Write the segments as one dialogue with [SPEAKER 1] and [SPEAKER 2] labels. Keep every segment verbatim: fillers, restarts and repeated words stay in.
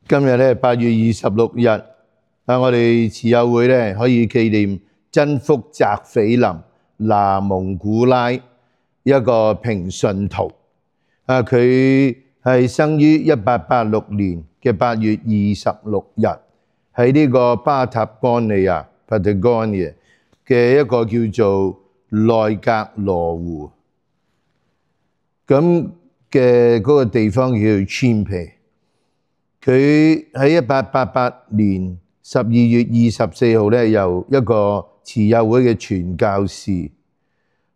[SPEAKER 1] 今日咧八月二十六日，啊，我哋慈幼會咧可以紀念真福澤斐林那蒙古拉一個平信徒。啊，佢係生於一八八六年嘅八月二十六日，喺呢個巴塔干尼亞 （Patagonia） 嘅一個叫做內格羅湖咁嘅嗰個地方叫做 Chimpe。佢喺一八八八年十二月二十四號咧，由一個慈幼會嘅傳教士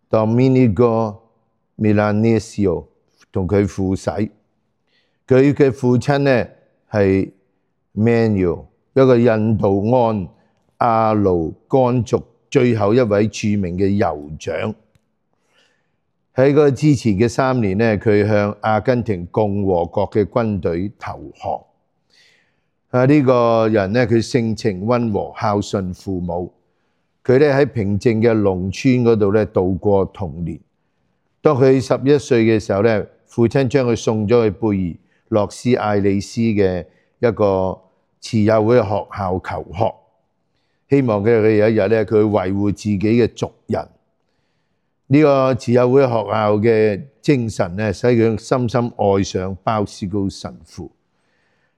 [SPEAKER 1] Domenico Milanesio 同佢父洗。佢嘅父親咧係 Manuel， 一個印度安阿勞干族最後一位著名嘅酋長。喺個之前嘅三年咧，佢向阿根廷共和國嘅軍隊投降。啊！呢個人咧，佢性情溫和，孝順父母。佢咧喺平靜嘅農村嗰度咧度過童年。當佢十一歲嘅時候咧，父親將佢送咗去貝爾洛斯艾利斯嘅一個慈幼會學校求學，希望佢佢有一日咧，佢維護自己嘅族人。呢個慈幼會學校嘅精神咧，使佢深深愛上鮑思高神父。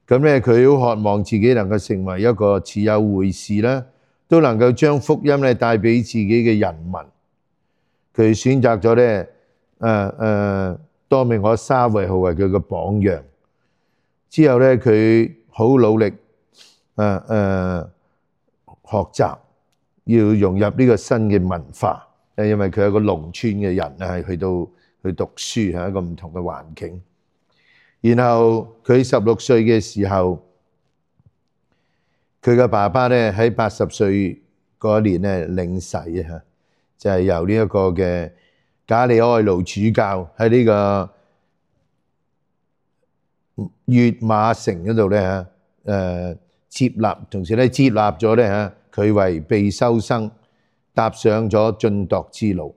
[SPEAKER 1] 咁咧，佢好渴望自己能夠成為一個慈幼會士啦，都能夠將福音咧帶俾自己嘅人民。佢選擇咗咧，誒誒多明我沙維號為佢嘅榜樣。之後咧，佢好努力，誒、呃、誒、呃、學習，要融入呢個新嘅文化。誒，因為佢係一個農村嘅人啊，係去到去讀書係一個唔同嘅環境。然後佢十六歲嘅時候，佢嘅爸爸咧喺八十歲嗰年咧領洗啊，就係由呢一個嘅賈里埃盧主教喺呢個越馬城嗰度咧嚇誒接納，同時咧接納咗咧嚇佢為被修生，踏上咗晉鐸之路。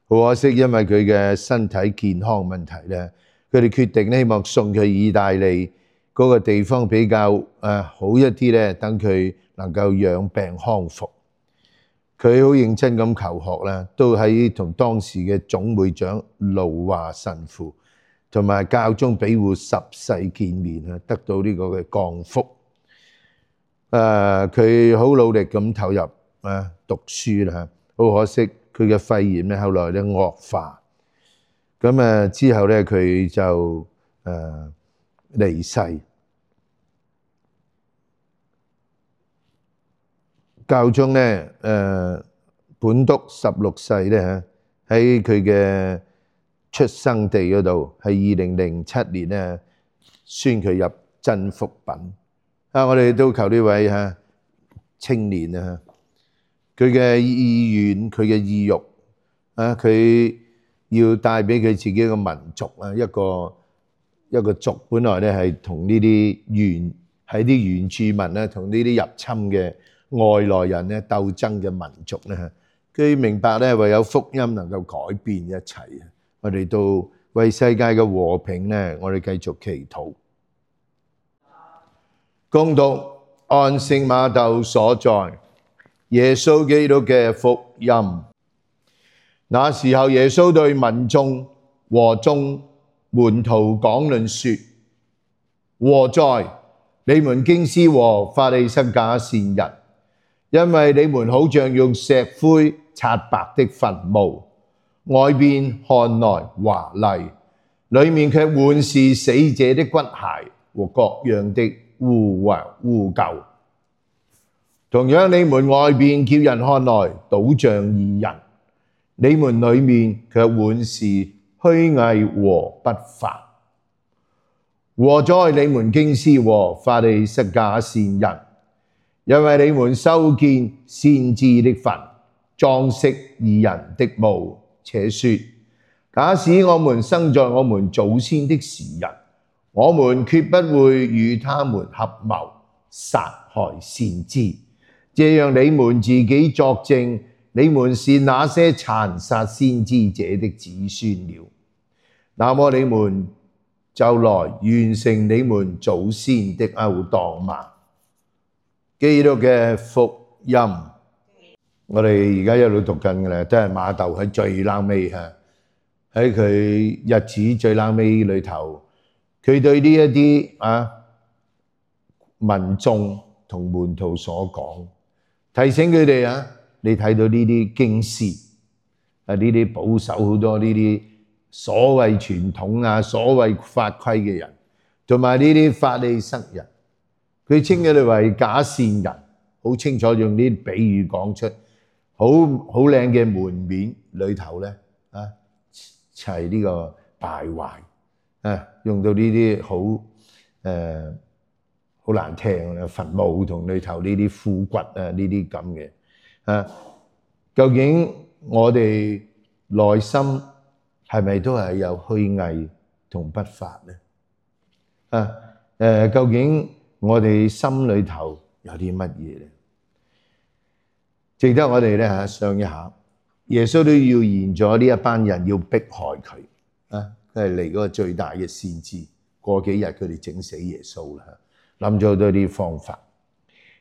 [SPEAKER 1] 好可惜，因為佢嘅身體健康問題咧。佢哋決定咧，希望送佢去意大利嗰個地方比較誒好一啲咧，等佢能夠養病康復。佢好認真咁求學啦，都喺同當時嘅總會長盧華神父同埋教宗庇護十世見面啊，得到呢個嘅降福。誒，佢好努力咁投入啊讀書啦，好可惜佢嘅肺炎咧，後來咧惡化。咁誒之後咧，佢就誒離世。教宗咧誒本篤十六世咧嚇，喺佢嘅出生地嗰度，係二零零七年咧宣佢入真福品。啊，我哋都求呢位嚇青年啊，佢嘅意願、佢嘅意欲啊，佢。要帶俾佢自己嘅民族啊，一個一個族本來咧係同呢啲原喺啲原住民咧，同呢啲入侵嘅外來人咧鬥爭嘅民族咧，佢明白咧唯有福音能夠改變一切。我哋都為世界嘅和平咧，我哋繼續祈禱。恭讀按聖瑪竇所載耶穌基督嘅福音。那時候，耶穌對民眾和眾門徒講論說：禍哉！你們經師和法利塞假善人，因為你們好像用石灰刷白的墳墓，外邊看來華麗，裡面卻滿是死者的骨骸和各樣的污穢污垢。同樣，你們外邊叫人看來倒像義人，你們裡面卻滿是虛偽和不法。禍哉！你們經師和法利塞假善人，因為你們修建先知的墳，裝飾義人的墓，且說：假使我們生在我們祖先的時日，我們決不會與他們合謀殺害先知。這樣你們自己作證，你們是那些殘殺先知者的子孫了。那麼你們就來完成你們祖先的勾當嘛。基督嘅福音，我哋而家一路讀緊嘅咧，都係馬竇喺最冷尾嚇，喺佢日子最冷尾裏頭，佢對呢一啲啊民眾同門徒所講，提醒佢哋啊，你睇到呢啲經師啊，呢啲保守好多呢啲所謂傳統啊、所謂法規嘅人，同埋呢啲法利塞人，佢稱佢哋為假善人，好清楚用啲比喻講出，好好靚嘅門面裏頭咧啊，齊呢個敗壞啊，用到呢啲好誒好難聽嘅墳墓同裏頭呢啲枯骨啊，呢啲咁嘅啊，究竟我哋內心係咪都係有虛偽同不法咧？啊誒，究竟我哋心裏頭有啲乜嘢咧？值得我哋咧嚇想一下。耶穌都預言咗呢一班人要迫害佢啊！佢係嚟嗰個最大嘅先知。過幾日佢哋整死耶穌啦，諗咗好多啲方法。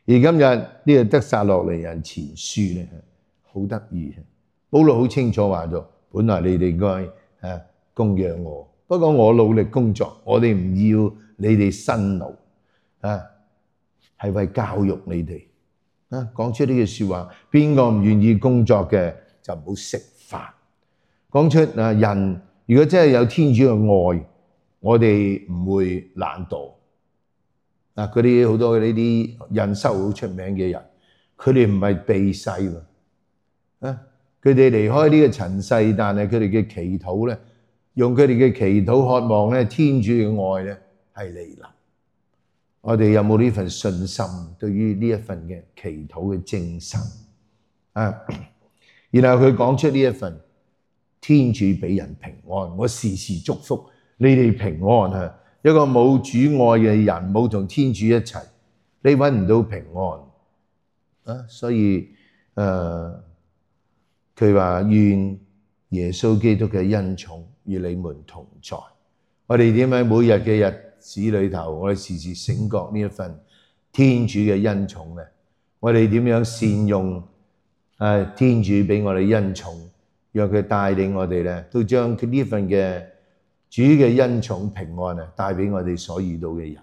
[SPEAKER 1] 而今日呢個得撒洛尼人前書咧，好得意。保羅好清楚話咗，本來你哋應該誒供養我，不過我努力工作，我哋唔要你哋辛勞啊，係為教育你哋啊。講出呢句説話，邊個唔願意工作嘅就唔好食飯。講出啊，人如果真係有天主嘅愛，我哋唔會懶惰啊。嗰啲好多呢啲印修好出名嘅人，佢哋唔係避世喎啊。佢哋離開呢個塵世，但係佢哋嘅祈禱咧，用佢哋嘅祈禱渴望咧，天主嘅愛咧係嚟臨。我哋有冇呢份信心？對於呢一份嘅祈禱嘅精神啊，然後佢講出呢一份天主俾人平安，我時時祝福你哋平安啊！一個冇主愛嘅人，冇同天主一齊，你揾唔到平安啊！所以誒，佢話願耶穌基督嘅恩寵與你們同在。我哋點喺每日嘅日子裏頭，我哋時時醒覺呢一份天主嘅恩寵咧？我哋點樣善用誒天主俾我哋恩寵，讓佢帶領我哋咧，都將佢呢份嘅主嘅恩寵平安啊，帶俾我哋所遇到嘅人。